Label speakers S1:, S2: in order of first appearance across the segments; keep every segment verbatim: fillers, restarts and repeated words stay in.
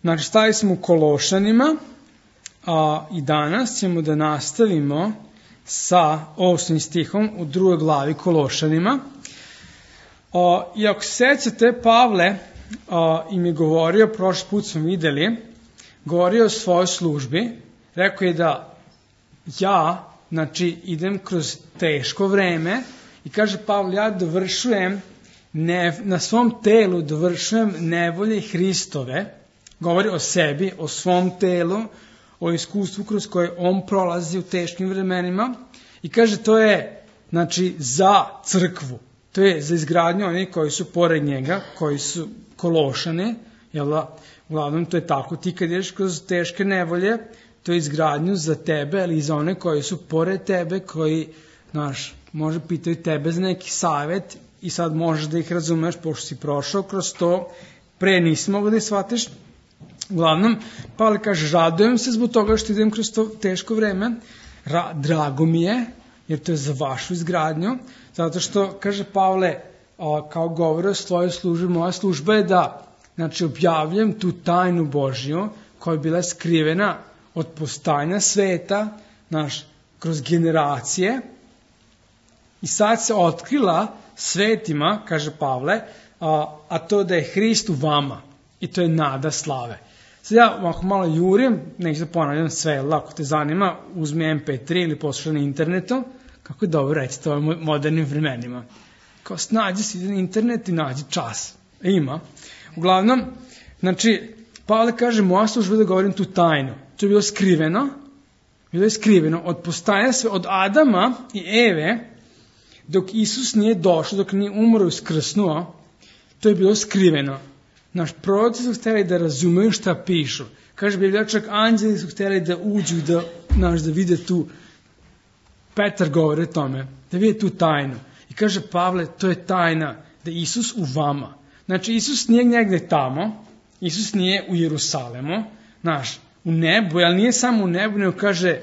S1: Znači, stali smo u Kološanima a, i danas ćemo da nastavimo sa osmim stihom u drugoj glavi Kološanima. A, I ako se sećate, Pavle a, im je govorio, prošli put smo videli, govorio o svojoj službi, rekao je da ja, znači, idem kroz teško vreme i kaže Pavle, ja dovršujem ne, na svom telu dovršujem nevolje Hristove, govori o sebi, o svom telu, o iskustvu kroz koje on prolazi u teškim vremenima i kaže to je, znači, za crkvu, to je za izgradnju onih koji su pored njega, koji su Kološani, jel da, uglavnom to je tako, ti kad ideš kroz teške nevolje, to je izgradnju za tebe, ali i za one koji su pored tebe, koji, znaš, može pitaju tebe za neki savjet i sad možeš da ih razumeš, pošto si prošao kroz to, pre nisi mogo da ih shvatiš. Uglavnom, Pavle kaže, radujem se zbog toga što idem kroz to teško vreme, Ra, drago mi je, jer to je za vašu izgradnju, zato što, kaže Pavle, a, kao govori o svojoj službi, moja služba je da, znači, objavljam tu tajnu Božju, koja je bila skrivena od postojanja sveta, znaš, kroz generacije, i sad se otkrila svetima, kaže Pavle, a, a to da je Hrist u vama, i to je nada slave. Sad ja ako malo jurim, neću da ponavljam sve, lako te zanima, uzmi em pe tri ili poslušaj na internetu, kako je dobro reći to u modernim vremenima. Kao snađi si na internet i nađi čas. E, ima. Uglavnom, znači, Pavle kaže, moja služba da govorim tu tajnu. To je bilo skriveno, bilo je skriveno od postajanja sve, od Adama i Eve, dok Isus nije došao, dok nije umro i uskrsnuo, to je bilo skriveno. Naš proroci su htjeli da razumeju šta pišu. Kaže Biblija, čak anđeli su htjeli da uđu, da, naš, da vide tu, Petar govori o tome, da vide tu tajnu. I kaže Pavle, to je tajna, da je Isus u vama. Znači, Isus nije negde tamo, Isus nije u Jerusalemu, naš, u nebu, ali nije samo u nebu, nego kaže,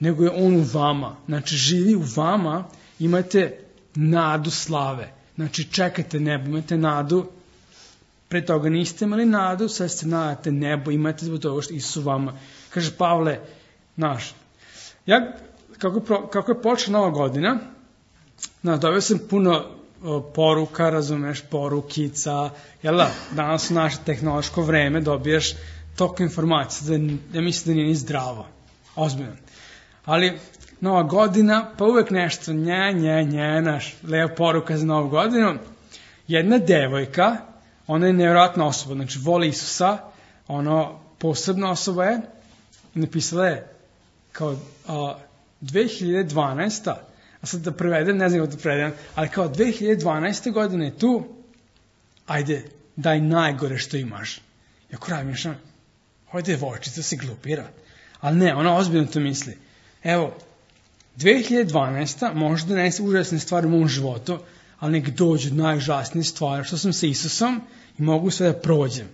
S1: nego je on u vama. Znači, živi u vama, imate nadu slave. Znači, čekajte nebo, imate nadu. Pre toga niste imali nadu, sad ste nadate nebo, imate zbog toga što Isus u vama. Kaže Pavle, naš, ja, kako, kako je počela nova godina, znaš, dobio sam puno o, poruka, razumeš, porukica, jel da, danas u naše tehnološko vreme dobiješ toliko informacija, da, da mislim da nije ni zdravo, ozbiljno. Ali, nova godina, pa uvek nešto, nje, nje, nje, naš, leva poruka za novu godinu, jedna devojka, ona je nevjerojatna osoba, znači voli Isusa, ono, posebna osoba je, i napisala je kao a, dve hiljade dvanaesta. A sad da prevedem, ne znam kako da prevedem, ali kao dve hiljade dvanaeste godine je tu, ajde, daj najgore što imaš. I ako razmišljam, ovo devojčica se glupira. Ali ne, ona ozbiljno to misli. Evo, dve hiljade dvanaesta može da donese užasne stvari u mom životu, ali nek dođu najužasnije stvari, što sam sa Isusom i mogu sve da prođem.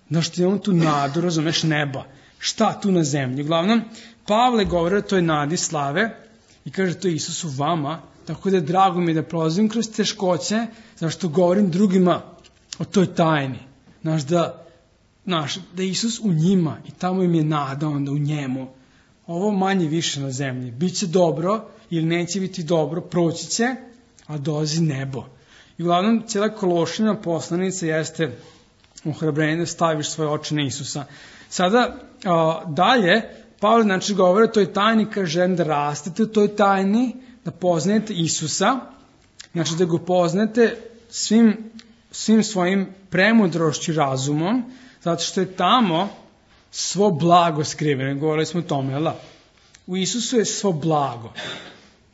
S1: Znaš, ti imam tu nadu, razumeš, neba. Šta tu na zemlji? Uglavnom, Pavle govori o toj nadi slave i kaže to je Isus u vama, tako da je drago mi da prolazim kroz teškoće, zašto govorim drugima o toj tajni. Znaš, da, znaš, da je Isus u njima i tamo im je nada onda u njemu. Ovo manje više na zemlji. Biće dobro ili neće biti dobro, proći će, a dolazi nebo. I uglavnom, cijela Kološina poslanica jeste ohrabrenje da staviš svoje oči na Isusa. Sada, a, dalje, Pavle, znači, govore o toj tajni, kaže da rastete u toj tajni, da poznajete Isusa, znači da ga poznate svim, svim svojim premudrošću i razumom, zato što je tamo svo blago skriveno. Govorili smo o tome, jel da? U Isusu je svo blago.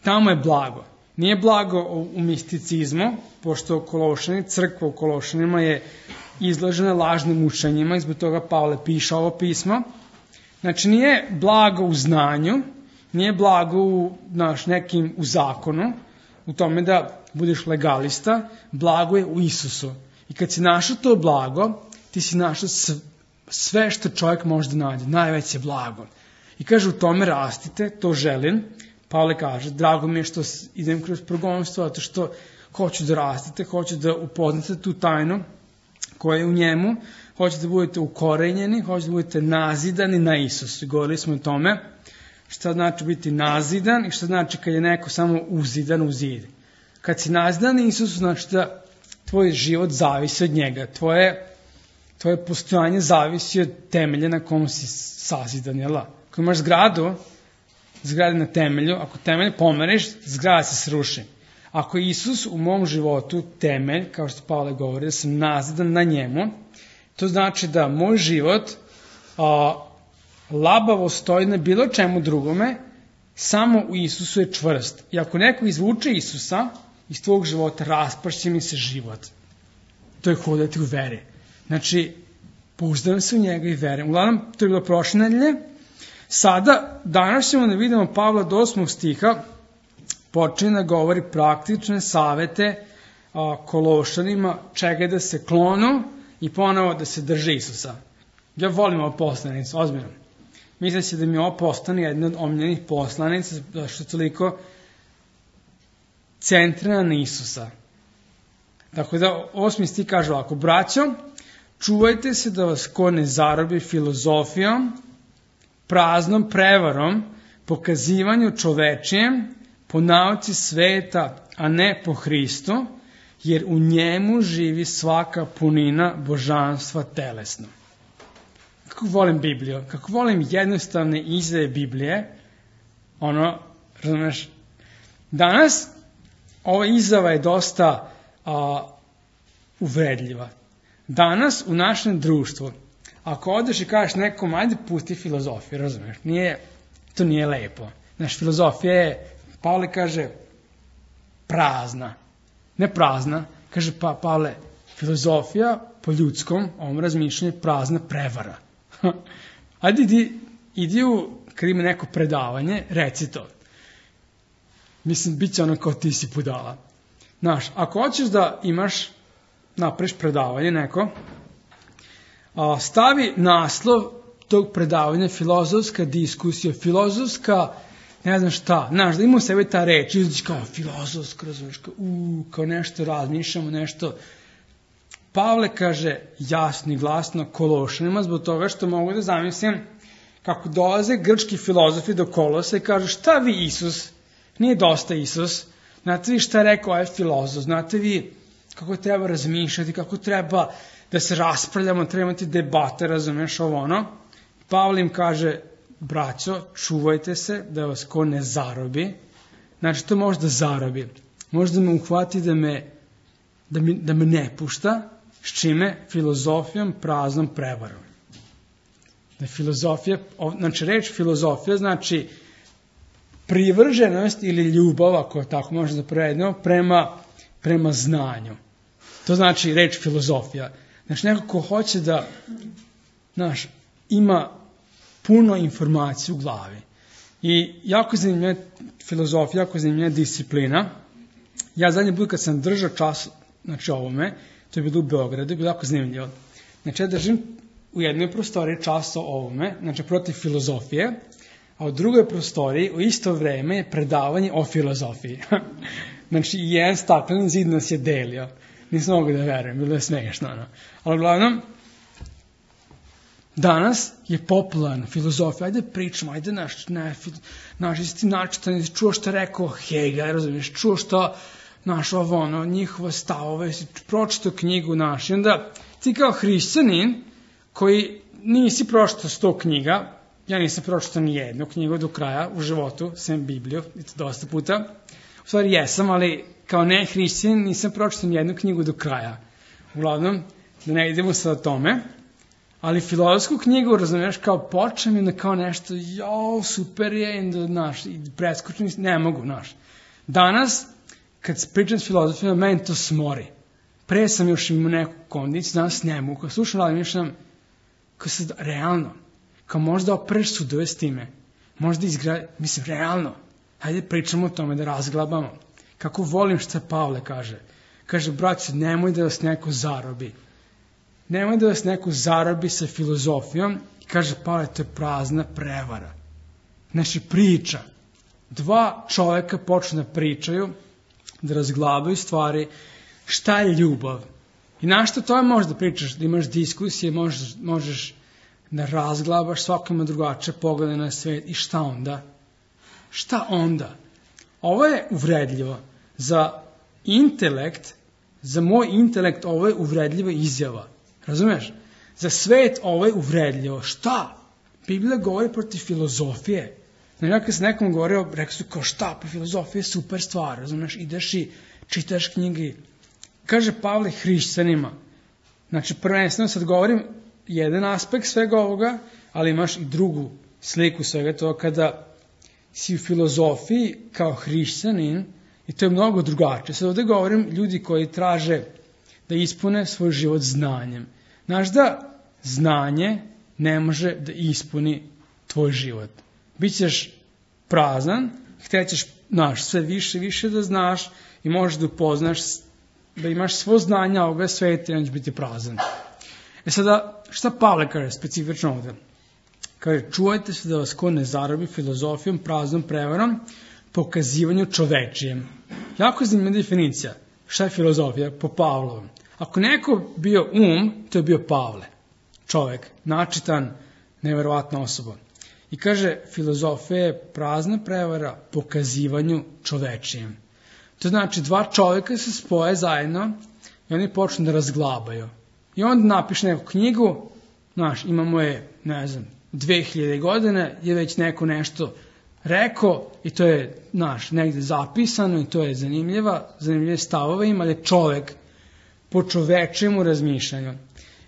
S1: Tamo je blago. Nije blago u misticizmu, pošto Kološani, crkva u Kološanima je izložena lažnim učenjima, i zbog toga Pavle piše ovo pismo. Znači, nije blago u znanju, nije blago u, znaš, nekim u zakonu, u tome da budeš legalista, blago je u Isusu. I kad si našao to blago, ti si našao sve što čovjek može da nađe, najveće blago. I kaže, u tome rastite, to želim. Pavle kaže, drago mi je što idem kroz progonstvo, zato što hoću da rastete, hoću da upoznate tu tajnu koje je u njemu, hoćete da budete ukorenjeni, hoćete da budete nazidani na Isusu. Govorili smo o tome šta znači biti nazidan i šta znači kad je neko samo uzidan u zid. Kad si nazidan na Isusu, znači da tvoj život zavisi od njega, tvoje, tvoje postojanje zavisi od temelja na kom si sazidan, jel? Ako imaš zgradu, zgrada na temelju, ako temelj pomereš, zgrada se sruši. Ako je Isus u mom životu temelj, kao što Pavle govori, da sam nazidan na njemu, to znači da moj život a, labavo stoji na bilo čemu drugome, samo u Isusu je čvrst. I ako neko izvuče Isusa iz tvojeg života, raspašće mi se život. To je hodati u veri. Znači, pouzdam se u njega i verujem. Uglavnom, to je bilo prošle nedelje. Sada, danas ćemo da vidimo Pavla do osmog stiha, počinje da govori praktične savete a, Kološanima, čega da se klonu i ponovo da se drže Isusa. Ja volim ovo poslanicu, ozbiljno. Mislim se da mi ovo postane jedna od omiljenih poslanica, zašto je toliko centrana na Isusa. Dakle, da osmi stih kaže ovako: braćo, čuvajte se da vas ko ne zarobi filozofijom, praznom prevarom, pokazivanju čovečijem, po nauci sveta, a ne po Hristu, jer u njemu živi svaka punina božanstva telesno. Kako volim Bibliju, kako volim jednostavne izdaje Biblije, ono, razumeš, danas ova izjava je dosta a, uvredljiva. Danas u našem društvu, ako odeš i kažeš nekom, ajde pusti filozofiju, razumeš, nije, to nije lepo. Znaš, filozofija je, Pavle kaže, prazna. Ne prazna, kaže pa, Pavle, filozofija po ljudskom, ovom razmišljanju, prazna prevara. Ajde idi, idi u, kad ima neko predavanje, reci to. Mislim, bit će ono kao ti si budala. Znaš, ako hoćeš da imaš, napraviš predavanje neko, a, stavi naslov tog predavanja filozofska diskusija, filozofska, ne znam šta, znaš, da ima u sebi ta reč, izliš kao filozofska, razumiješ, kao, u, kao nešto razmišljamo, nešto. Pavle kaže jasno i glasno Kološanima, zbog toga što mogu da zamislim kako dolaze grčki filozofi do Kolosa i kažu šta vi Isus, nije dosta Isus, znate vi šta je rekao ovaj filozof, znate vi kako treba razmišljati, kako treba da se raspravljamo, treba imati debate, razumeš ovo ono. Pavle im kaže, braćo, čuvajte se da vas ko ne zarobi, znači to može da zarobi, može da me uhvati da me, da me, da me ne pušta, s čime? Filozofijom, praznom prevarom. Da filozofija, znači reč filozofija znači privrženost ili ljubav, ako tako može da prevedemo, prema, prema znanju. To znači reč filozofija. Znači neko ko hoće da, znaš, ima puno informacija u glavi. I jako zanimljiva filozofija, jako zanimljiva disciplina. Ja zadnji put kad sam držao čas, znači ovome, to je bilo u Beogradu, je bilo jako zanimljivo. Znači ja držim u jednoj prostoriji čas o ovome, znači protiv filozofije, a u drugoj prostoriji u isto vreme je predavanje o filozofiji. Znači jedan stakleni zid nas je delio. Nisam mogu da verujem, bilo je smiješno. No. Ali uglavnom, danas je popularna filozofija, ajde pričamo, ajde naš, ne, naš isti način, čuo što je rekao Hegel, razumiješ, čuo što naš ovo, ono, njihove stavove, si pročitao knjigu naš, i onda ti kao hrišćanin, koji nisi pročitao sto knjiga, ja nisam pročitao ni jednu knjigu do kraja u životu, sem Bibliju, i to dosta puta, u stvari jesam, ali kao ne hrišćanin nisam pročitao ni jednu knjigu do kraja. Uglavnom, da ne idemo sad o tome, ali filozofsku knjigu, razumiješ, kao počnem i kao nešto, jo, super je, i, naš, i preskočim, ne mogu, naš. Danas, kad pričam s filozofijom, meni to smori. Pre sam još imao neku kondiciju, danas ne mogu. Kao slušam, ali mišljam, kao sad, realno, kao možda opreš sudove s time, možda izgradi, mislim, realno, hajde pričamo o tome da razglabamo. Kako volim što Pavle kaže. Kaže, braćo, nemoj da vas neko zarobi. Nemoj da vas neko zarobi sa filozofijom. I kaže, Pavle, to je prazna prevara. Znači, priča. Dva čoveka počnu da pričaju, da razglabaju stvari, šta je ljubav. I na što to možeš da pričaš, da imaš diskusije, možeš, možeš da razglabaš, svako ima drugačije poglede na svet i šta onda? Šta onda? Ovo je uvredljivo. Za intelekt, za moj intelekt ovo je uvredljiva izjava. Razumeš? Za svet ovo je uvredljivo. Šta? Biblija govori protiv filozofije. Znači, kad se nekom govorio, rekao su kao šta, pa filozofija je super stvar, razumeš? Ideš i čitaš knjige. Kaže Pavle hrišćanima. Znači, prvenstveno sad govorim jedan aspekt svega ovoga, ali imaš i drugu sliku svega toga kada si u filozofiji kao hrišćanin i to je mnogo drugačije. Sad ovdje govorim ljudi koji traže da ispune svoj život znanjem. Znaš da znanje ne može da ispuni tvoj život. Bićeš prazan, htećeš naš sve više više da znaš i možeš da upoznaš da imaš svo znanje ovoga sveta i on će biti prazan. E sada, šta Pavle kaže specifično ovdje? Kaže, čuvajte se da vas ko ne zarobi filozofijom, praznom prevarom, pokazivanju čovečijem. Jako zanimljiva definicija. Šta je filozofija? Po Pavlovom. Ako neko bio um, to je bio Pavle. Čovek, načitan, neverovatna osoba. I kaže, filozofija je prazna prevara pokazivanju čovečijem. To znači, dva čoveka se spoje zajedno i oni počnu da razglabaju. I onda napiše neku knjigu, znaš, imamo je, ne znam, dve hiljade godine, je već neko nešto rekao i to je, znaš, negde zapisano i to je zanimljiva, zanimljive stavove ima, ali čovek po čovečemu razmišljanju.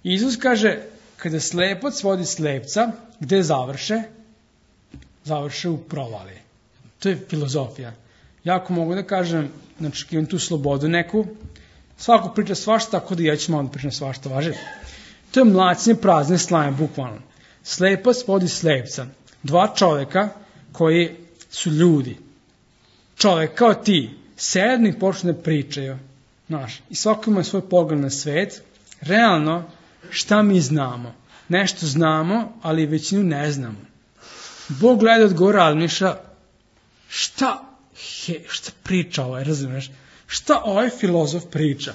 S1: Isus kaže, kada slepac vodi slepca, gde završe? Završe u provali. To je filozofija. Jako mogu da kažem, znači, imam tu slobodu neku, svako priča svašta, tako da ja ću malo da pričam svašta, važi. To je mlacnje prazne slame, bukvalno. Slepac vodi slepca. Dva čoveka koji su ljudi. Čovek kao ti, sedni i počne da pričaju. Znaš, i svako ima svoj pogled na svet. Realno, šta mi znamo? Nešto znamo, ali većinu ne znamo. Bog gleda od gore, ali miša, šta, he, šta priča ovaj, razumeš? Šta ovaj filozof priča?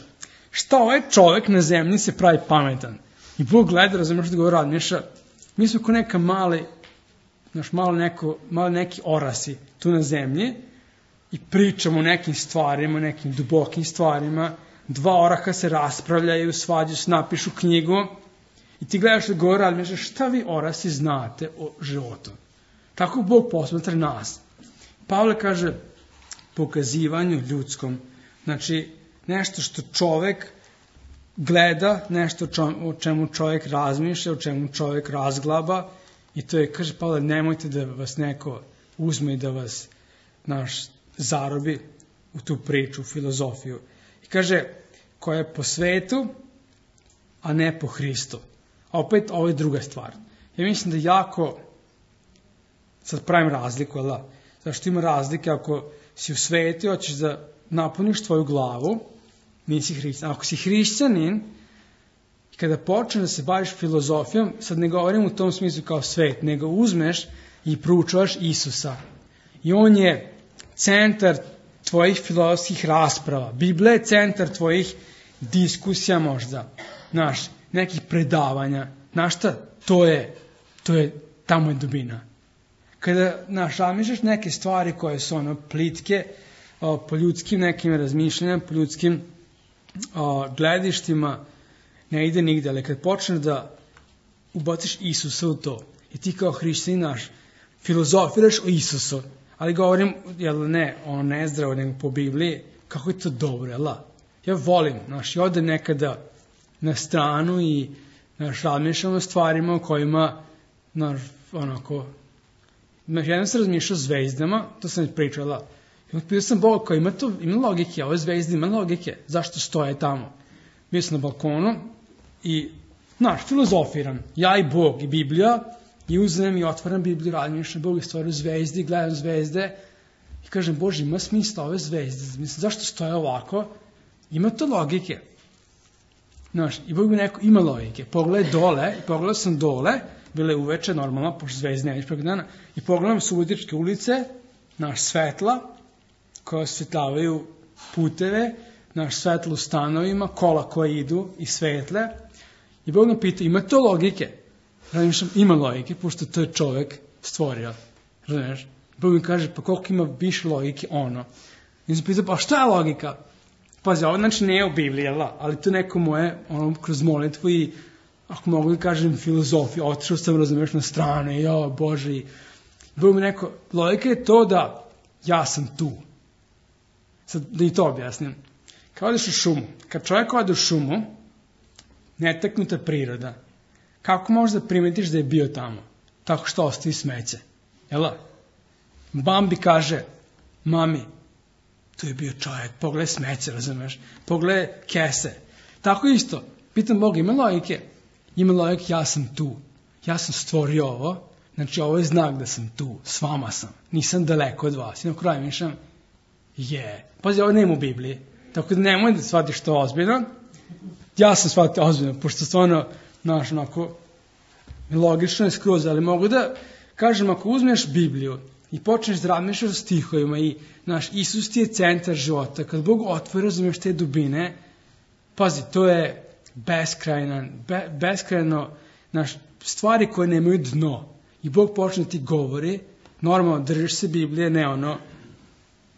S1: Šta ovaj čovek na zemlji se pravi pametan? I Bog gleda, razumeš, od gore, ali miša, mi smo ko neka mali, znaš, malo, neko, malo neki orasi tu na zemlji i pričamo o nekim stvarima, nekim dubokim stvarima. Dva oraha se raspravljaju, svađaju se, napišu knjigu i ti gledaš da gore, ali misliš, šta vi orasi znate o životu? Tako Bog posmatra nas. Pavle kaže, pokazivanju ljudskom. Znači, nešto što čovek gleda, nešto o čemu čovjek razmišlja, o čemu čovjek razglaba i to je, kaže Pavle, nemojte da vas neko uzme i da vas naš zarobi u tu priču, u filozofiju. I kaže, koja je po svetu, a ne po Hristu. A opet, ovo je druga stvar. Ja mislim da jako, sad pravim razliku, ali da, zašto ima razlike ako si u svetu, hoćeš da napuniš tvoju glavu, nisi hrišćanin. Ako si hrišćanin, kada počne da se baviš filozofijom, sad ne govorim u tom smislu kao svet, nego uzmeš i proučavaš Isusa. I on je centar tvojih filozofskih rasprava. Biblija je centar tvojih diskusija možda. Znaš, nekih predavanja. Znaš šta? To je, to je, tamo je dubina. Kada, znaš, razmišljaš neke stvari koje su ono plitke, o, po ljudskim nekim razmišljanjima, po ljudskim o, gledištima, ne ide nigde, ali kad počneš da ubaciš Isusa u to, i ti kao hrišćanin naš, filozofiraš o Isusu, ali govorim, jel ne, ono nezdravo, nego po Bibliji, kako je to dobro, jel da? Ja volim, znaš, ja odem nekada na stranu i, znaš, razmišljam o stvarima o kojima, znaš, onako, jednom sam razmišljao o zvezdama, to sam pričala, i pitao sam Boga koji ima to, ima logike, ove zvezde ima logike, zašto stoje tamo? Bio sam na balkonu i, znaš, filozofiram, ja i Bog i Biblija, i uzmem i otvaram Bibliju, razmišljam Bog i stvaru zvezdi, gledam zvezde i kažem, Bože, ima smisla ove zvezde, mislim, zašto stoje ovako? Ima to logike. Znaš, i Bog mi neko, ima logike. Pogledaj dole, i pogledao sam dole, bile uveče, normalno, pošto zvezde ne viš preko dana, i pogledam Subotičke ulice, naš svetla, koja osvetljavaju puteve, naš svetlo u stanovima, kola koje idu i svetle. I Bog me pita, ima to logike? Razmišljam, ima logike, pošto to je čovek stvorio. Razumiješ? Bog mi kaže, pa koliko ima više logike ono. I sam pitao, pa šta je logika? Pazi, ovo znači nije u Bibliji, ali to neko moje, ono, kroz molitvu i, ako mogu da kažem, filozofiju, otišao sam, razumiješ, na strane, jo, Bože, i Bog mi rekao, logika je to da ja sam tu. Sad, da i to objasnim. Kao odeš u šumu, kad čovjek ode u šumu, netaknuta priroda, kako možeš da primetiš da je bio tamo? Tako što ostavi smeće. Jel' Bambi kaže, mami, tu je bio čovjek, pogledaj smeće, razumeš? Pogledaj kese. Tako isto, pitam Boga, ima logike? Ima logike, ja sam tu. Ja sam stvorio ovo, znači ovo je znak da sam tu, s vama sam. Nisam daleko od vas. I na kraju mišljam, je. Pazi, ovo nema u Bibliji. Tako da nemoj da shvatiš to ozbiljno. Ja sam shvatio ozbiljno, pošto stvarno, znaš, onako, logično je skroz, ali mogu da kažem, ako uzmeš Bibliju i počneš da razmišljaš o stihovima i, znaš, Isus ti je centar života, kad Bog otvori, razumiješ te dubine, pazi, to je beskrajno, be, beskrajno, znaš, stvari koje nemaju dno. I Bog počne ti govori, normalno držiš se Biblije, ne ono,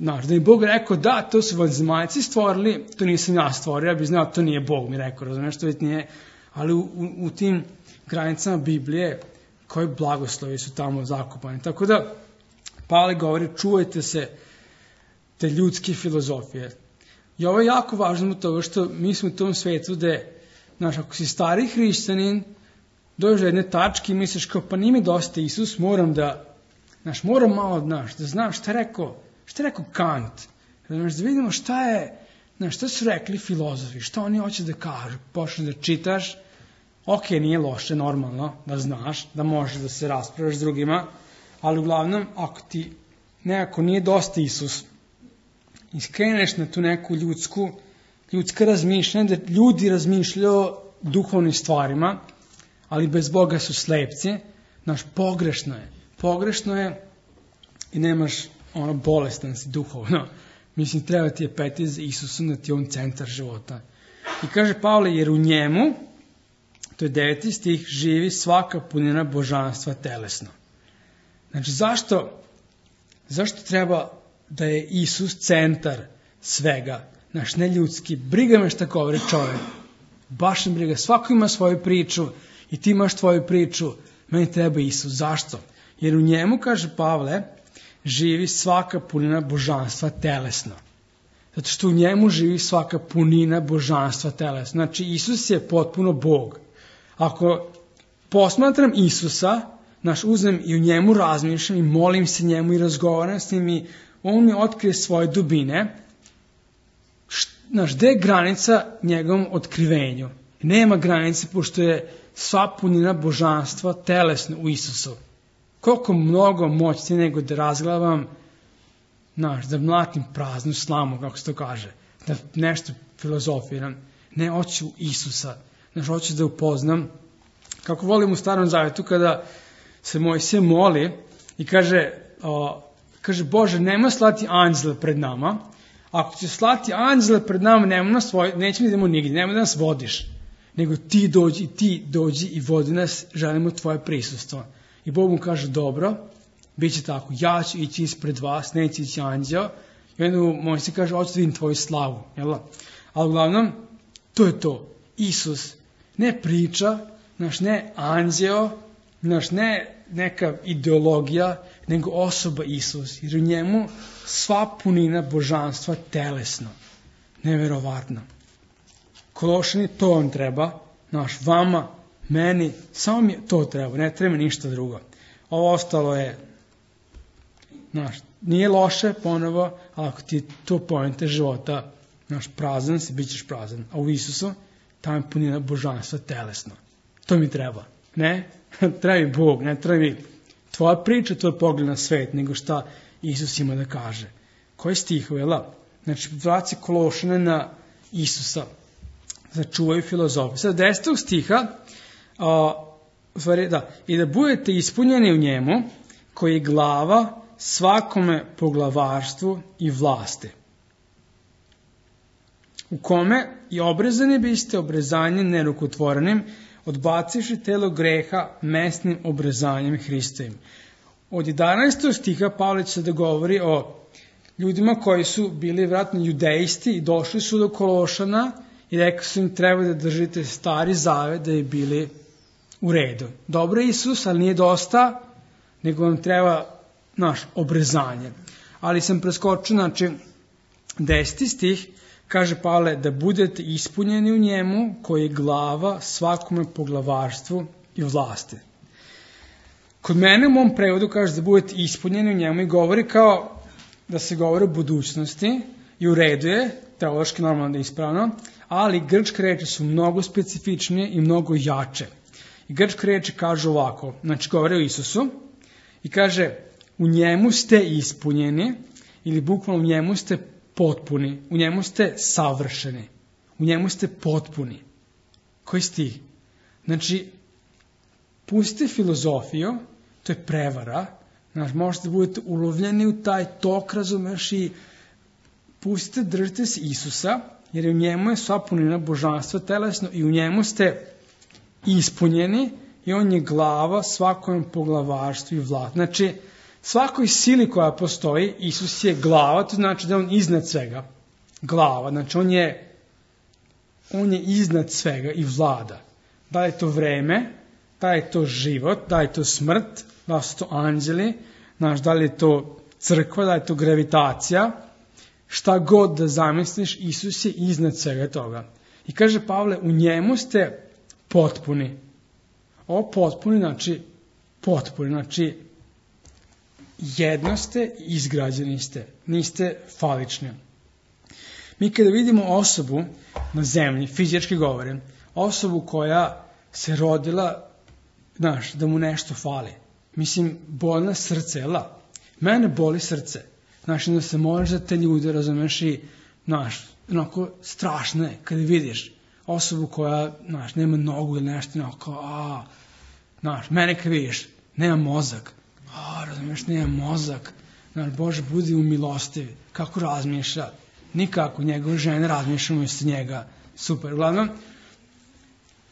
S1: znaš, da mi Bog rekao, da, to su vanzemaljci stvorili, to nisam ja stvorio, ja bih znao, to nije Bog mi rekao, razumiješ, to nije, ali u, u, u tim granicama Biblije, koji blagoslovi su tamo zakopani. Tako da, Pavle govori, čuvajte se te ljudske filozofije. I ovo je jako važno u toga što mi smo u tom svetu gde, znaš, ako si stari hrišćanin, dođeš do jedne tačke i misliš kao, pa nije mi dosta Isus, moram da, znaš, moram malo, znaš, da znam šta je rekao, šta je rekao Kant, znaš, da vidimo šta je, znaš, šta su rekli filozofi, šta oni hoće da kažu, počneš da čitaš, ok, nije loše, normalno, da znaš, da možeš da se raspravljaš s drugima, ali uglavnom, ako ti nekako nije dosta Isus, i skreneš na tu neku ljudsku, ljudska razmišljanja, da ljudi razmišljaju o duhovnim stvarima, ali bez Boga su slepci, znaš, pogrešno je, pogrešno je i nemaš ono bolestan si duhovno. Mislim, treba ti je peti za Isusom da ti je on centar života. I kaže Pavle, jer u njemu, to je deveti stih, živi svaka punina božanstva telesno. Znači, zašto, zašto treba da je Isus centar svega? Znaš, ne ljudski. Briga me šta govori čovjek. Baš ne briga. Svako ima svoju priču i ti imaš tvoju priču. Meni treba Isus. Zašto? Jer u njemu, kaže Pavle, živi svaka punina božanstva telesno. Zato što u njemu živi svaka punina božanstva telesno. Znači, Isus je potpuno Bog. Ako posmatram Isusa, naš uzmem i u njemu razmišljam i molim se njemu i razgovaram s njim i on mi otkrije svoje dubine, znaš, gde je granica njegovom otkrivenju? Nema granice, pošto je sva punina božanstva telesno u Isusu. Koliko mnogo moćnije nego da razglavam, znaš, da mlatim praznu slamu, kako se to kaže, da nešto filozofiram. Ne, hoću Isusa. Znaš, hoću da upoznam. Kako volim u Starom Zavetu kada se Mojsije moli i kaže, o, kaže, Bože, nemoj slati anđele pred nama. Ako će slati anđele pred nama, nemoj nas vodi, nećemo idemo nigdje, nemoj da nas vodiš. Nego ti dođi, ti dođi i vodi nas, želimo tvoje prisustvo. I Bog mu kaže, dobro, bit će tako, ja ću ići ispred vas, neće ići anđeo. I onda Mojsije kaže, hoću da vidim tvoju slavu. Jel? Ali uglavnom, to je to. Isus ne priča, naš ne anđeo, naš ne neka ideologija, nego osoba Isus. Jer u njemu sva punina božanstva telesno. Neverovatno. Kološani, to vam treba. Naš, vama, meni, samo mi to treba. Ne treba ništa drugo. Ovo ostalo je, naš, nije loše ponovo, ali ako ti to poenta života, naš, prazan si, bit ćeš prazan. A u Isusu, tamo je punina božanstva telesno. To mi treba. Ne? Treba mi Bog, ne treba mi tvoja priča, tvoj pogled na svet, nego šta Isus ima da kaže. Koji stihove, la? Znači, vraci Kološane na Isusa. Začuvaju filozofiju. Sad, desetog stiha, a, stvari, da, i da budete ispunjeni u njemu, koji je glava svakome poglavarstvu i vlasti. u kome i obrezani biste obrezanjem nerukotvorenim, odbacivši telo greha mesnim obrezanjem Hristovim. Od jedanaestog stiha Pavle će da govori o ljudima koji su bili vratno judejsti i došli su do Kološana i rekli su im treba da držite stari zavet da je bili u redu. Dobro je Isus, ali nije dosta, nego vam treba naš obrezanje. Ali sam preskočio, znači, deseti stih, kaže Pavle da budete ispunjeni u njemu koji je glava svakome poglavarstvu i vlasti. Kod mene u mom prevodu kaže da budete ispunjeni u njemu i govori kao da se govori o budućnosti i u redu je, teološki normalno da je ispravno, ali grčke reči su mnogo specifičnije i mnogo jače. I grčke reči kažu ovako, znači govore o Isusu i kaže u njemu ste ispunjeni ili bukvalno u njemu ste potpuni, u njemu ste savršeni, u njemu ste potpuni. Koji stih? Znači, pustite filozofiju, to je prevara, znači možete da budete ulovljeni u taj tok, razumeš, i pustite, držite se Isusa, jer u njemu je sva punina božanstva telesno i u njemu ste ispunjeni i on je glava svakom poglavarstvu i vlast. Znači, svakoj sili koja postoji, Isus je glava, to znači da je on iznad svega. Glava, znači on je, on je iznad svega i vlada. Da je to vreme, da je to život, da je to smrt, da su to anđeli, znaš, da li je to crkva, da je to gravitacija, šta god da zamisliš, Isus je iznad svega toga. I kaže Pavle, u njemu ste potpuni. Ovo potpuni znači potpuni, znači jedno ste, izgrađeni ste, niste falični. Mi kada vidimo osobu na zemlji, fizički govorim, osobu koja se rodila, znaš, da mu nešto fali. Mislim, bolna srce, jela? Mene boli srce. Znaš, da se možeš za te ljude, razumeš, i, znaš, onako strašno je kada vidiš osobu koja, znaš, nema nogu ili nešto, onako, a, znaš, mene kada vidiš, nema mozak, a, razumeš, nema mozak, znaš, Bože, budi umilostivi, kako razmišlja, nikako, njegove žene razmišljaju umjesto njega, super, uglavnom,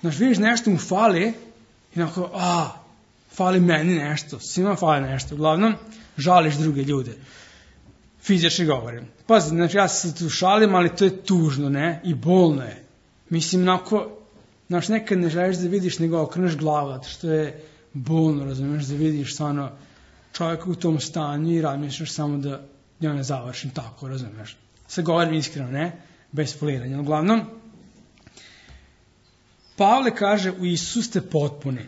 S1: znaš, vidiš nešto mu fali, i onako, a, fali meni nešto, svima fali nešto, uglavnom, žališ druge ljude. Fizički govorim. Pazi, znači ja se tu šalim, ali to je tužno, ne? I bolno je. Mislim, onako, znaš, nekad ne želiš da vidiš, nego okreneš glavu, što je bolno, razumiješ, da vidiš stvarno čovjeka u tom stanju i razmišljaš samo da ja ne završim tako, razumiješ. Sve govorim iskreno, ne? Bez foliranja. Uglavnom, Pavle kaže, u Isusu ste potpuni.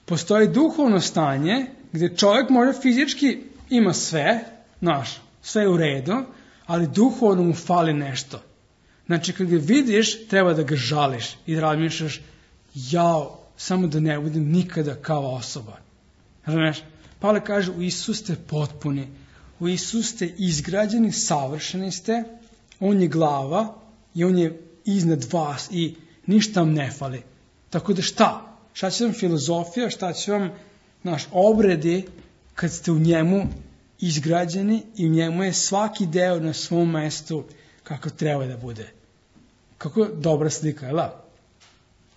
S1: Postoji duhovno stanje gdje čovjek možda fizički ima sve, znaš, sve je u redu, ali duhovno mu fali nešto. Znači, kad ga vidiš, treba da ga žališ i da razmišljaš, jao, samo da ne budem nikada kao osoba. Razumiješ? Pavle kaže, u Isusu ste potpuni, u Isusu ste izgrađeni, savršeni ste, on je glava i on je iznad vas i ništa vam ne fali. Tako da šta? Šta će vam filozofija, šta će vam naš obredi kad ste u njemu izgrađeni i u njemu je svaki deo na svom mestu kako treba da bude. Kako dobra slika, jel?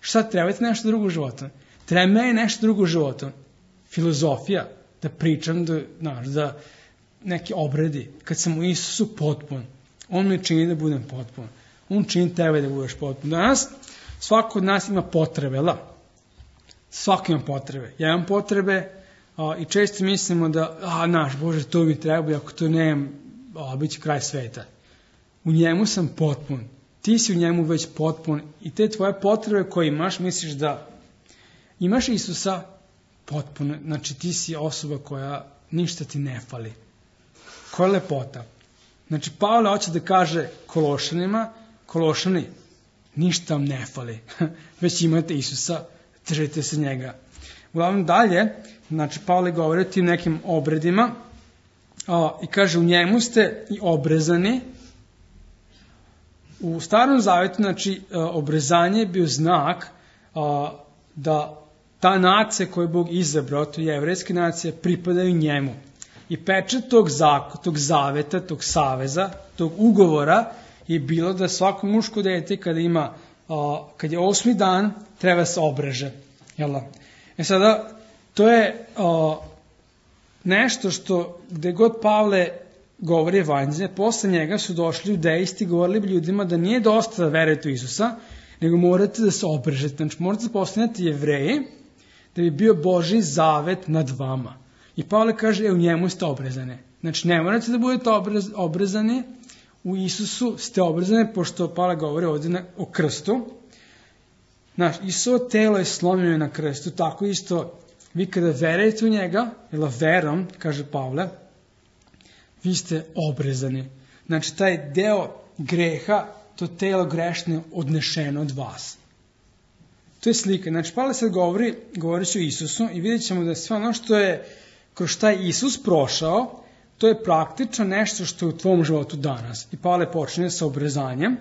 S1: Šta trebate nešto drugo u životu? Treba meni nešto drugo u životu. Filozofija, da pričam, da, znaš, da neki obredi. Kad sam u Isusu potpun, on me čini da budem potpun. On čini tebe da budeš potpun. Danas svako od nas ima potrebe, jel? Svako ima potrebe. Ja imam potrebe a, i često mislimo da, a, naš, Bože, to mi treba i ako to nemam, a, bit će kraj sveta. U njemu sam potpun. Ti si u njemu već potpun i te tvoje potrebe koje imaš, misliš da imaš Isusa potpuno, znači ti si osoba koja ništa ti ne fali. Koja je lepota. Znači Pavle hoće da kaže Kološanima, Kološani, ništa vam ne fali, već imate Isusa, držite se njega. Uglavnom dalje, znači Pavle govori o tim nekim obredima a, i kaže u njemu ste i obrezani. U Starom Zavetu, znači, obrezanje je bio znak a, da ta nacija koju je Bog izabrao, to je jevrejska nacija, pripadaju njemu. I pečat tog, zak, tog zaveta, tog saveza, tog ugovora je bilo da svako muško dete kada ima, a, kad je osmi dan, treba se obreže. Jel? E sada, to je a, nešto što, gde god Pavle govori evanđelje, posle njega su došli judejsti i govorili bi ljudima da nije dosta da verujete u Isusa, nego morate da se obrežete. Znači, morate da postanete Jevreji, da bi bio Božji zavet nad vama. I Pavle kaže, e, u njemu ste obrezani. Znači, ne morate da budete obrez, obrezani, u Isusu ste obrezani, pošto Pavle govori ovdje na, o krstu. Znači, Isusovo telo je slomljeno na krstu, tako isto, vi kada verujete u njega, ili verom, kaže Pavle, vi ste obrezani. Znači, taj deo greha, to telo grešno je odnešeno od vas. To je slika. Znači, Pavle sad govori, govori će o Isusu i vidjet ćemo da sve ono što je kroz šta je Isus prošao, to je praktično nešto što je u tvom životu danas. I Pavle počinje sa obrezanjem.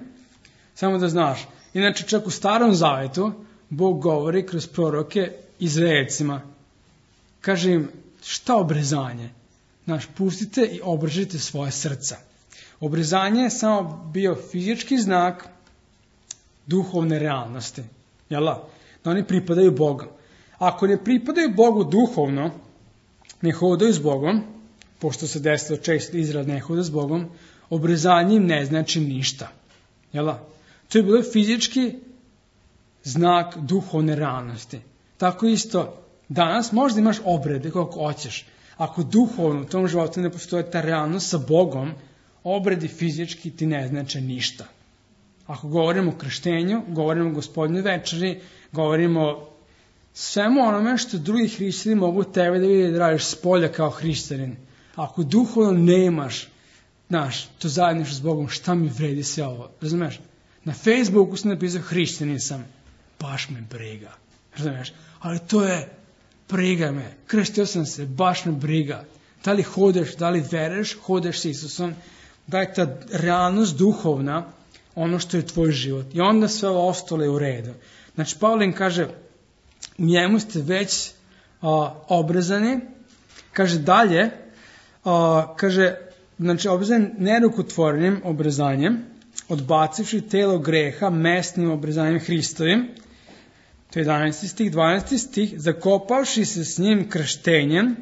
S1: Samo da znaš. Inače, čak u Starom Zavetu, Bog govori kroz proroke Izraelcima. Kaže im, šta obrezanje? Znaš, pustite i obrežite svoje srca. Obrezanje je samo bio fizički znak duhovne realnosti. Jel' da oni pripadaju Bogu. Ako ne pripadaju Bogu duhovno, ne hodaju s Bogom, pošto se desilo često Izrael ne hoda s Bogom, obrezanje im ne znači ništa. Jel' da? To je bilo fizički znak duhovne realnosti. Tako isto, danas možda imaš obrede kako hoćeš. Ako duhovno u tom životu ne postoje ta realnost sa Bogom, obredi fizički ti ne znači ništa. Ako govorimo o krštenju, govorimo o Gospodnjoj večeri, govorimo o svemu onome što drugi hrišćani mogu tebe da vidi da radiš s polja kao hrišćanin. Ako duhovno nemaš, znaš, to zajedništvo s Bogom, šta mi vredi sve ovo? Razumeš? Na Facebooku sam napisao hrišćanin sam, baš me briga. Razumeš? Ali to je, briga me, krstio sam se, baš me briga. Da li hodeš, da li veruješ, hodeš s Isusom, da je ta realnost duhovna ono što je tvoj život. I onda sve ovo ostalo je u redu. Znači, Pavle im kaže, u njemu ste već a, obrezani. Kaže dalje, a, kaže, znači, obrezan nerukotvornim obrezanjem, odbacivši telo greha mesnim obrezanjem Hristovim. To je jedanaesti stih, dvanaesti stih, zakopavši se s njim krštenjem,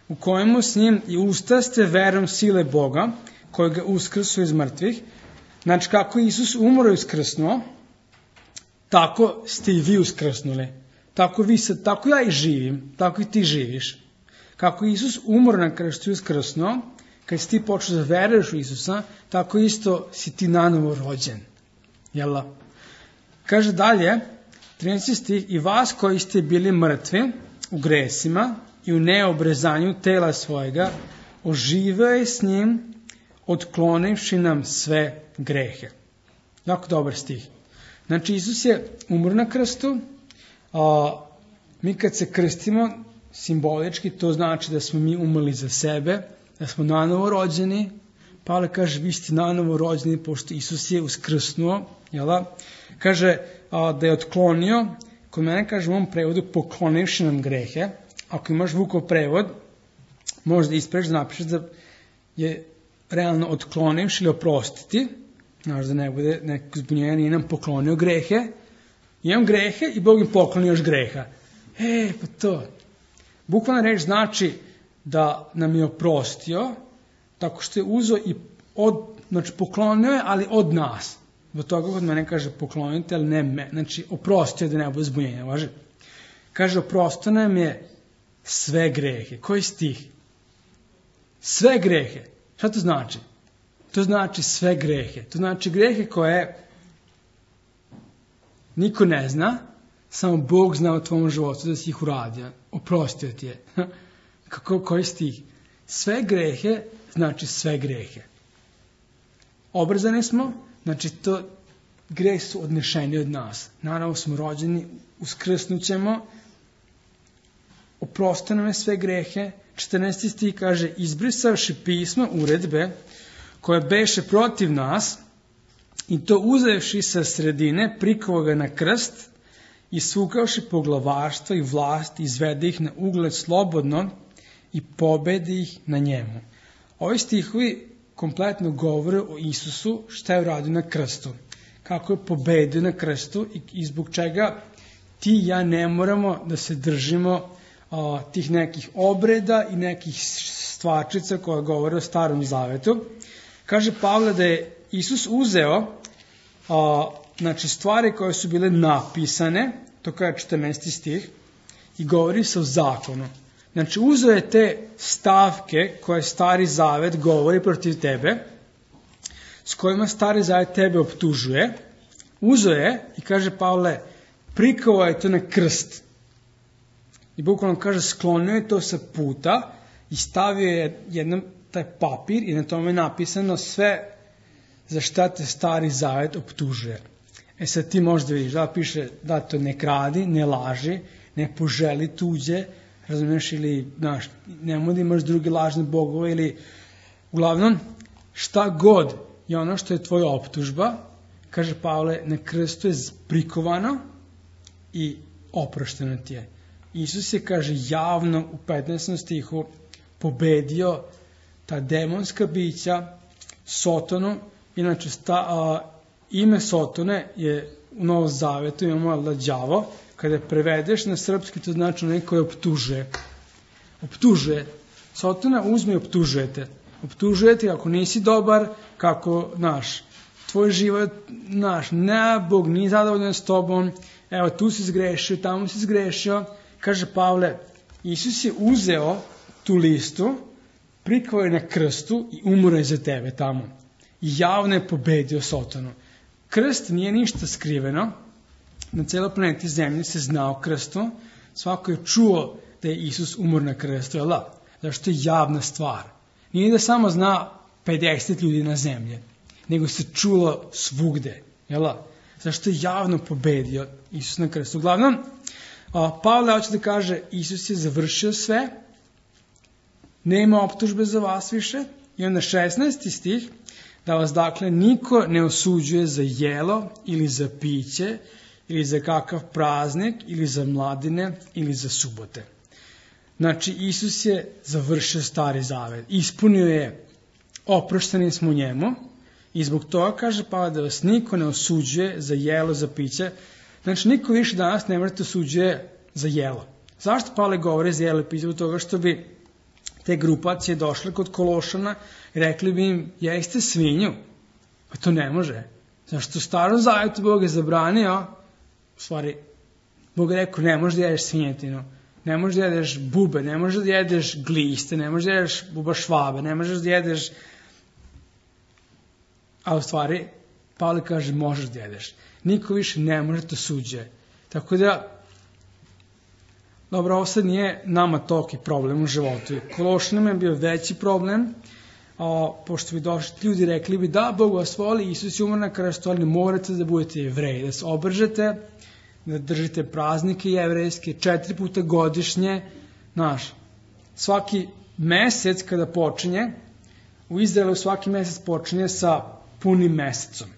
S1: u kojemu s njim i ustaste verom sile Boga, koji ga uskrsu iz mrtvih. Znači, kako Isus umro i uskrsnuo, tako ste i vi uskrsnuli. Tako, vi sad, tako ja i živim, tako i ti živiš. Kako Isus umro na krstu i uskrsnuo, kad si ti počeo da veruješ u Isusa, tako isto si ti nanovo rođen. Jel? Kaže dalje, trinaesti stih, i vas koji ste bili mrtvi u gresima i u neobrezanju tela svojega, oživio je s njim, otklonivši nam sve grehe. Jako dobar stih. Znači, Isus je umro na krstu, a mi kad se krstimo, simbolički, to znači da smo mi umrli za sebe, da smo nanovo rođeni. Pavle kaže, vi ste nanovo rođeni, pošto Isus je uskrsnuo, jel? Kaže a, da je otklonio, kod mene kaže u ovom prevodu, poklonivši nam grehe. Ako imaš Vukov prevod, možda ispreš da napišeš da je realno otklonivši ili oprostiti, znaš da ne bude neko zbunjenje, nije nam poklonio grehe, imam grehe i Bog im poklonio još greha. E, pa to. Bukvalna reč znači da nam je oprostio, tako što je uzeo i od, znači poklonio je, ali od nas. Zbog toga kod mene kaže poklonite, ali ne me. Znači, oprostio da ne bude zbunjenja, važi? Kaže, oprostio nam je sve grehe. Koji stih? Sve grehe. Šta to znači? To znači sve grehe. To znači grehe koje niko ne zna, samo Bog zna u tvom životu da si ih uradio. Oprostio ti je. Kako, koji stih? Sve grehe znači sve grehe. Obrzani smo, znači to greh su odnešeni od nas. Naravno smo rođeni, uskrsnućemo, oprosto nam je sve grehe. četrnaesti stih kaže, izbrisavši pismo uredbe koje beše protiv nas i to uzevši sa sredine, prikovao ga na krst i svukavši poglavarstva i vlast, izvede ih na ugled slobodno i pobedi ih na njemu. Ovi stihovi kompletno govore o Isusu, šta je uradio na krstu, kako je pobedio na krstu i, i zbog čega ti i ja ne moramo da se držimo a, tih nekih obreda i nekih stvarčica koja govore o Starom Zavetu. Kaže Pavle da je Isus uzeo a, znači stvari koje su bile napisane, to kaže četrnaesti stih, i govori se o zakonu. Znači uzeo je te stavke koje Stari Zavet govori protiv tebe, s kojima Stari Zavet tebe optužuje, uzeo je i kaže Pavle, prikao je to na krst. I bukvalno kaže, sklonio je to sa puta i stavio je jednom taj papir i na tome je napisano sve za šta te Stari Zavet optužuje. E sad ti možda vidiš, da piše da to ne kradi, ne laži, ne poželi tuđe, razumiješ, ili znaš, nemoj da imaš druge lažne bogove, ili uglavnom šta god je ono što je tvoja optužba, kaže Pavle, na krstu je prikovano i oprošteno ti je. Isus je, kaže, javno u petnaestom stihu pobedio ta demonska bića, Sotonu. Inače, sta, a, ime Sotone je u Novom Zavetu, imamo da đavo, kada prevedeš na srpski, to znači neko je optužuje. Optužuje. Sotona uzme i optužujete. Optužujete ako nisi dobar, kako, naš, tvoj život, naš, ne, Bog nije zadovoljan s tobom, evo, tu si zgrešio, tamo si zgrešio. Kaže Pavle, Isus je uzeo tu listu, prikao je na krstu i umro je za tebe tamo. I javno je pobedio Sotonu. Krst nije ništa skriveno, na celoj planeti Zemlji se zna o krstu, svako je čuo da je Isus umro na krstu, jel da? Zašto je javna stvar. Nije da samo zna pedeset ljudi na zemlji, nego se čulo svugde, jel da? Zašto je javno pobedio Isus na krstu. Uglavnom, Pavle hoće da kaže, Isus je završio sve, nema optužbe za vas više, i onda šesnaesti stih, da vas dakle niko ne osuđuje za jelo ili za piće, ili za kakav praznik, ili za mladine, ili za subote. Znači, Isus je završio Stari Zavet, ispunio je, oprošteni smo njemu, i zbog toga kaže Pavle da vas niko ne osuđuje za jelo, za piće. Znači, niko više danas ne morate osuđuje za jelo. Zašto Pavle govori za jelo i piće? Zbog toga što bi te grupacije došle kod Kološana i rekli bi im, jeste svinju. Pa to ne može. Zašto u Starom Zavetu Bog je zabranio, u stvari, Bog je rekao, ne možeš da jedeš svinjetinu, ne možeš da jedeš bube, ne možeš da jedeš gliste, ne možeš da jedeš buba švabe, ne možeš da jedeš, a u stvari, Pavle kaže, možeš da jedeš. Niko više ne može to suđe. Tako da, dobro, ovo sad nije nama toliki problem u životu. Kološanima je bio veći problem, a, pošto bi došli ljudi rekli bi, da, Bog vas voli, Isus je umro na krstu, ali ne morate da budete jevreji, da se obržete, da držite praznike jevrejske četiri puta godišnje. Znaš, svaki mesec kada počinje, u Izraelu svaki mesec počinje sa punim mesecom.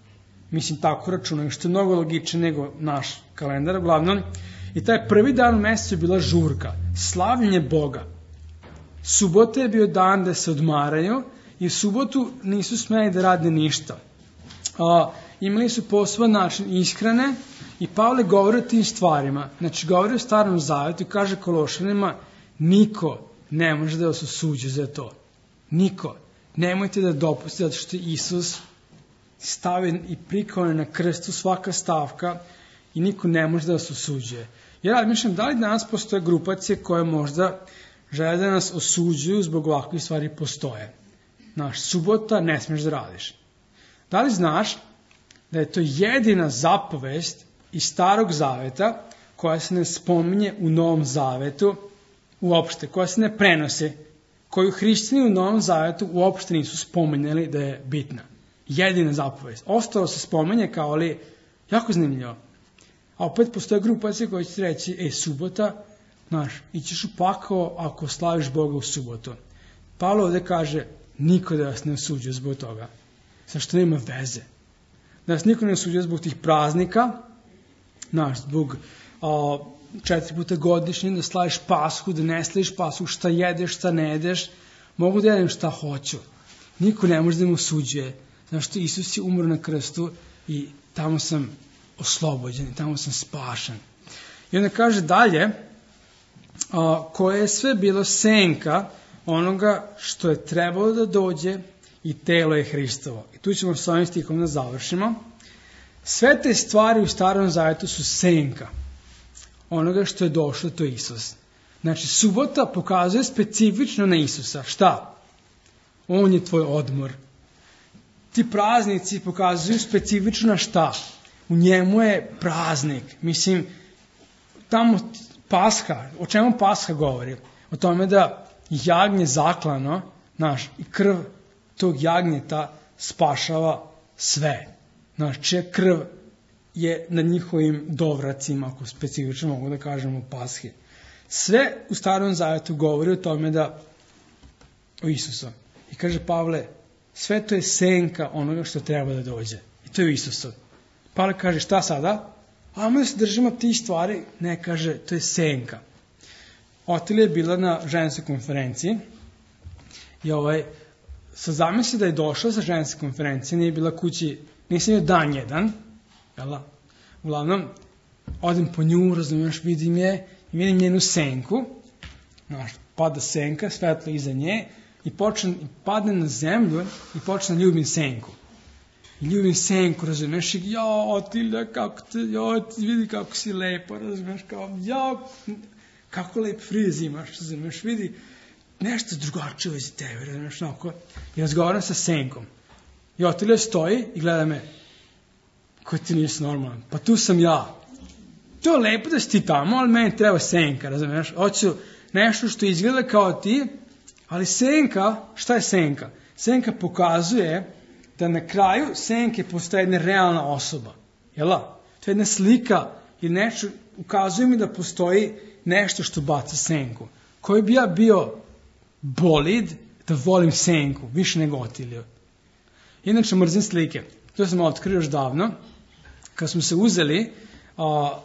S1: Mislim, tako računaju, što je mnogo logičnije nego naš kalendar, uglavnom. I taj prvi dan u mesecu je bila žurka, slavljenje Boga. Subota je bio dan da se odmaraju i u subotu nisu smeli da rade ništa. A, imali su poseban način ishrane i Pavle govori o tim stvarima. Znači, govori o Starom Zavetu i kaže Kološanima, niko ne može da vas osuđe za to. Niko. Nemojte da dopustite, zato što Isus stavio i prikao na krstu svaka stavka i niko ne može da vas osuđuje. Ja razmišljam, da li danas postoje grupacije koje možda žele da nas osuđuju zbog ovakvih stvari postoje. Znaš, subota ne smiješ da radiš. Da li znaš da je to jedina zapovest iz Starog Zaveta koja se ne spominje u Novom Zavetu uopšte, koja se ne prenose, koju hrišćani u Novom Zavetu uopšte nisu spomenuli da je bitna. Jedina zapovest. Ostalo se spomenje kao li jako zanimljivo. A opet postoje grupacije koje će reći, e, subota, znaš, ićeš u pakao ako slaviš Boga u subotu. Pavle ovde kaže, niko da vas ne osuđuje zbog toga. Zašto nema veze. Da vas niko ne osuđuje zbog tih praznika, znaš, zbog a, četiri puta godišnje, da slaviš Pashu, da ne slaviš Pashu, šta jedeš, šta ne jedeš, mogu da jedem šta hoću. niko ne može da me osuđuje. Znaš što Isus je umro na krstu i tamo sam oslobođen i tamo sam spašen. I onda kaže dalje, a, koje je sve bilo senka onoga što je trebalo da dođe i telo je Hristovo. I tu ćemo s ovim stihom da završimo. Sve te stvari u Starom Zavetu su senka onoga što je došlo, to je Isus. Znači, subota pokazuje specifično na Isusa. Šta? On je tvoj odmor. Ti praznici pokazuju specifično na šta? U njemu je praznik. Mislim, tamo Pasha, o čemu Pasha govori? O tome da jagnje zaklano, znaš, i krv tog jagnjeta spašava sve. Znači, krv je na njihovim dovracima, ako specifično mogu da kažem u Pashi. Sve u Starom Zavetu govori o tome da o Isusu. I kaže Pavle, sve to je senka onoga što treba da dođe. I to je u Isusu. Pavle kaže, šta sada? Ajmo da se držimo tih stvari. Ne, kaže, to je senka. Otilija je bila na ženskoj konferenciji i ovaj, sa zamisli da je došla sa ženske konferencije, nije bila kući, nisam joj dan jedan, jela? Uglavnom, odem po nju, razumiješ, vidim je, i vidim njenu senku, znaš, pada senka, svetlo iza nje, i počne, padne na zemlju i počne da ljubim senku. I ljubim senku, razumiješ, i ja, Otilija, kako te, ja, vidi kako si lepa, razumiješ, kao, ja, kako lep friz imaš, razumiješ, vidi, nešto drugačije iz tebe, razumiješ, onako, i razgovaram sa senkom. I Otilija stoji i gleda me, koji ti nisi normalan, pa tu sam ja. To je lepo da si ti tamo, ali meni treba senka, razumiješ, hoću nešto što izgleda kao ti, ali senka, šta je senka? Senka pokazuje da na kraju senke postaje jedna realna osoba. Jela? To je jedna slika i nešto, ukazuje mi da postoji nešto što baca senku. Koji bi ja bio bolid da volim senku, više nego Otiliju. Inače, mrzim slike. To sam otkrio još davno. Kad smo se uzeli, a,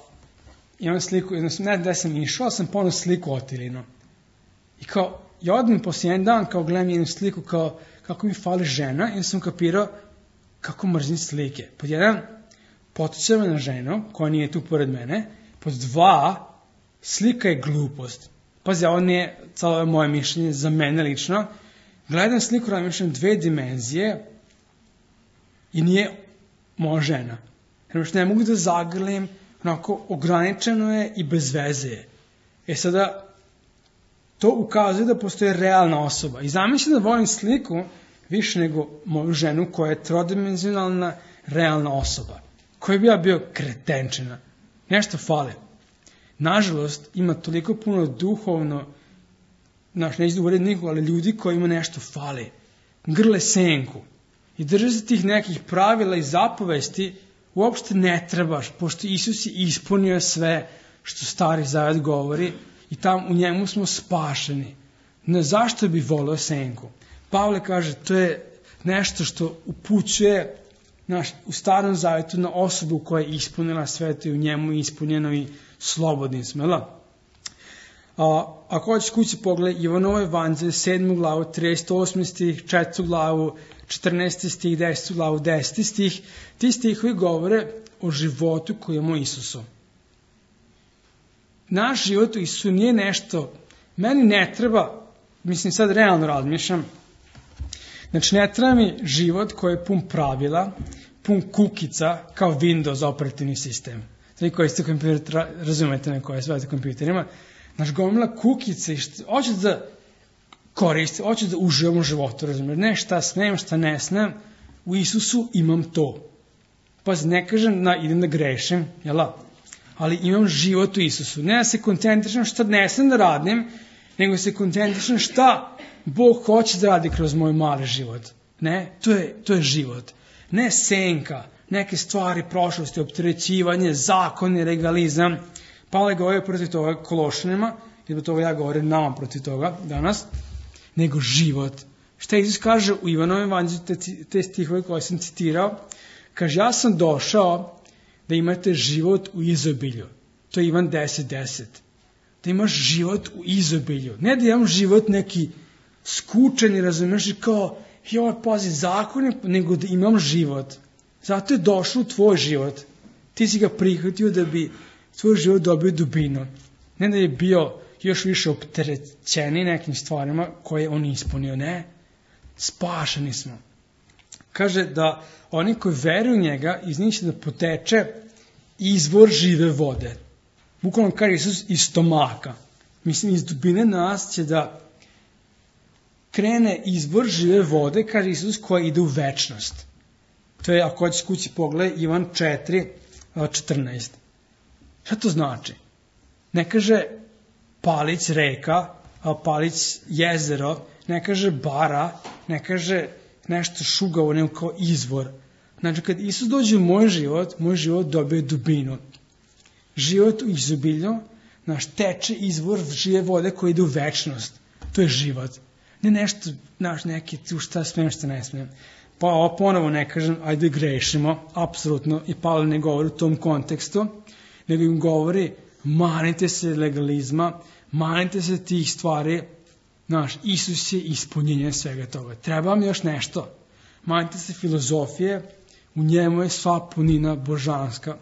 S1: imam sliku, ne da sam išao, sam ponao sliku Otilinu. I kao, ja odem poslije jedan dan, kao gledam jednu sliku, kao, kako mi fali žena, i sam kapirao kako mrzim slike. Pod jedan, potiče me na ženu, koja nije tu pored mene. Pod dva, slika je glupost. Pazi, ovo nije celo moje mišljenje za mene lično. Gledam sliku, razmišljam dve dimenzije i nije moja žena. Jer ne mogu da zagrlim, onako ograničeno je i bez veze je. E sada, to ukazuje da postoje realna osoba. I zamislim da volim sliku više nego moju ženu koja je trodimenzionalna realna osoba. Koja bi ja bio kretenčina. Nešto fale. Nažalost, ima toliko puno duhovno, znaš, neću da uvedim nikoga, ali ljudi koji ima nešto fale. Grle senku. I drže se tih nekih pravila i zapovesti, uopšte ne trebaš, pošto Isus je ispunio sve što Stari Zavet govori i tam u njemu smo spašeni. Ne, zašto bi volio senku? Pavle kaže, to je nešto što upućuje naš, u Starom Zavetu na osobu koja je ispunila sve to i u njemu je ispunjeno i slobodni smo. A, ako hoćeš kući pogled, Ivanovo evanđelje, sedmu glavu, trideset osmi stih, četvrtu glavu, četrnaesti stih, desetu glavu, deseti stih, ti stihovi govore o životu koji imamo Isusu. Naš život u Isusu nije nešto, meni ne treba, mislim sad realno razmišljam, znači ne treba mi život koji je pun pravila, pun kukica, kao Windows operativni sistem. Znači koji ste kompjuter, razumete na koje svete kompjuterima, znači gomila kukice i što, hoću da koristim, hoću da uživam u životu, razumiješ, ne šta smem, šta ne smem, u Isusu imam to. Pazi, ne kažem da idem da grešim, jela? Ali imam život u Isusu. Ne da se koncentrišem šta ne smem da radim, nego se koncentrišem šta Bog hoće da radi kroz moj mali život. Ne, to je, to je život. Ne senka, neke stvari prošlosti, opterećivanje, zakoni, legalizam. Pavle govori protiv toga Kološanima, i zbog toga ja govorim nama protiv toga danas, nego život. Šta Isus kaže u Ivanovom evanđelju, te, te stihove koje sam citirao, kaže, ja sam došao da imate život u izobilju. To je Ivan deset deset. Da imaš život u izobilju. Ne da imam život neki skučen i razumiješ kao, I ovo, pazi, zakon je nego da imam život. Zato je došao u tvoj život. Ti si ga prihvatio da bi tvoj život dobio dubinu. Ne da je bio još više opterećeni nekim stvarima koje on ispunio. Ne, spašeni smo. Kaže da oni koji veruju u njega, iz njih će da poteče izvor žive vode. Bukvalno kaže Isus iz stomaka. Mislim, iz dubine nas će da krene izvor žive vode, kaže Isus, koja ide u večnost. To je, ako hoćeš kući pogledaj, Ivan četiri četrnaest. Šta to znači? Ne kaže palić reka, palić jezero, ne kaže bara, ne kaže nešto šugavo, nego kao izvor. Znači, kad Isus dođe u moj život, moj život dobije dubinu. Život u izobilju, naš teče izvor žive vode koji ide u večnost. To je život. Ne nešto, naš neki, tu šta smijem, šta ne smijem. Pa ovo ponovo ne kažem, ajde grešimo, apsolutno, i Pavle ne govori u tom kontekstu, nego im govori, manite se legalizma, manite se tih stvari, naš Isus je ispunjenje svega toga. Treba vam još nešto. Manite se filozofije, u njemu je sva punina božanska,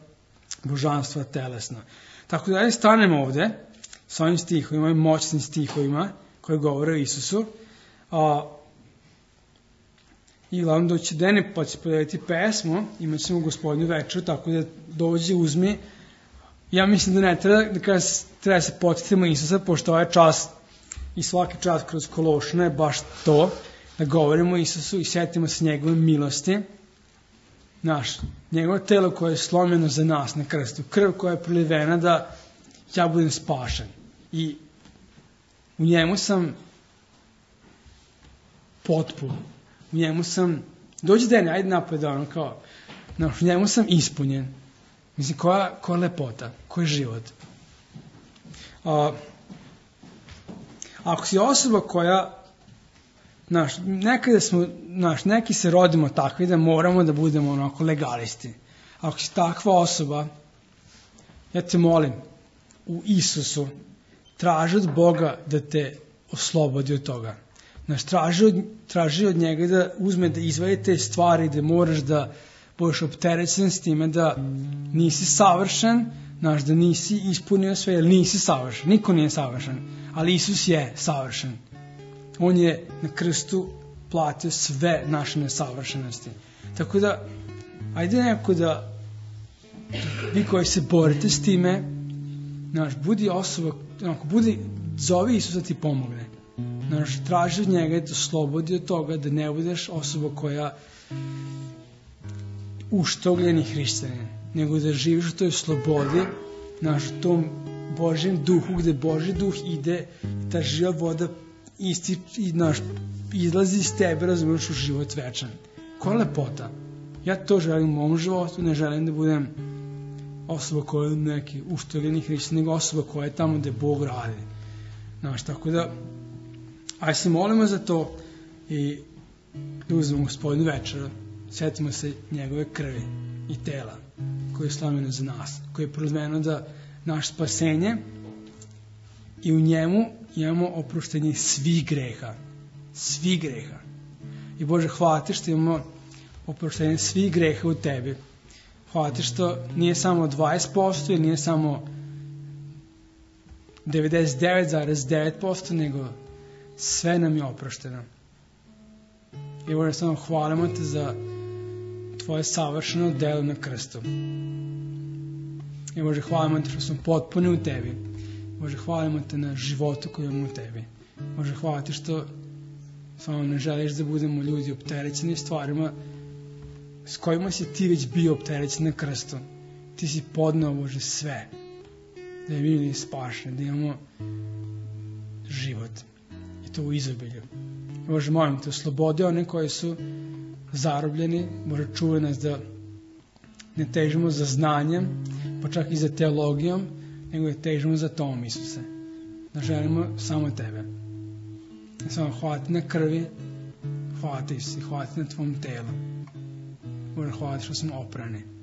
S1: božanstva telesna. Tako da je stanemo ovde, s ovim stihovima, moćnim stihovima, koji govore o Isusu, a, i glavno doći dene, pa će podijeliti pesmu, imat ćemo Gospodnju večeru, tako da dođi, uzmi. Ja mislim da ne treba, da kada treba se podsjetimo Isusa, pošto ovaj čas i svaki čas kroz Kološane je baš to, da govorimo o Isusu i sjetimo se njegove milosti, naš, njegovo telo koje je slomljeno za nas na krstu, krv koja je prolivena da ja budem spašen. I u njemu sam potpun, u njemu sam, dođi dene, ajde napad da ono kao, naš, u njemu sam ispunjen. Mislim, koja, koja lepota, koji život. A, ako si osoba koja, znaš, nekada smo, znaš, neki se rodimo takvi da moramo da budemo onako legalisti. Ako si takva osoba, ja te molim, u Isusu, traži od Boga da te oslobodi od toga. Znaš, traži od, traži od njega da uzme, da izvadi te stvari, da moraš da budeš opterećen s time da nisi savršen, znaš, da nisi ispunio sve, jer nisi savršen. Niko nije savršen, ali Isus je savršen. On je na krstu platio sve naše nesavršenosti. Tako da, ajde neko da, vi koji se borite s time, znaš, budi osoba, onako, budi, zovi Isusa ti pomogne. Znaš, traži od njega da slobodi od toga, da ne budeš osoba koja uštogljeni hrišćanin, nego da živiš u toj slobodi, znaš, u tom Božjem duhu, gde Božji duh ide, ta živa voda isti, i, naš, izlazi iz tebe, razumiješ, u život večan. Koja lepota. Ja to želim u mom životu, ne želim da budem osoba koja je neki uštoljeni hrišćan, nego osoba koja je tamo gde Bog radi. Znaš, tako da, aj se molimo za to i da uzmemo Gospodnju večeru, sjetimo se njegove krvi i tela koje je slomljeno za nas, koje je proliveno da naš spasenje i u njemu imamo oproštenje svih greha. Svih greha. I Bože, hvala ti što imamo oproštenje svih greha u tebi. Hvala ti što nije samo dvadeset posto ili nije samo devedeset devet zarez devet posto, nego sve nam je oprošteno. I Bože, samo hvalimo te za tvoje savršeno delo na krstu. I Bože, hvalimo te što smo potpuni u tebi. Bože, hvalimo te na životu koji imamo u tebi. Bože, hvala ti što samo ne želiš da budemo ljudi opterećeni stvarima s kojima si ti već bio opterećen na krstu. Ti si podneo, Bože, sve. Da je bili spašeni, da imamo život. I to u izobilju. Bože, molim te, oslobodi one koji su zarobljeni. Bože, čuvaj nas da ne težimo za znanjem, pa čak i za teologijom, nego da težimo za tom, Isuse. Da želimo samo tebe. Da samo hvala ti na krvi, hvala ti, Isuse, hvala ti na tvom telu. Bože, hvala ti što smo oprani.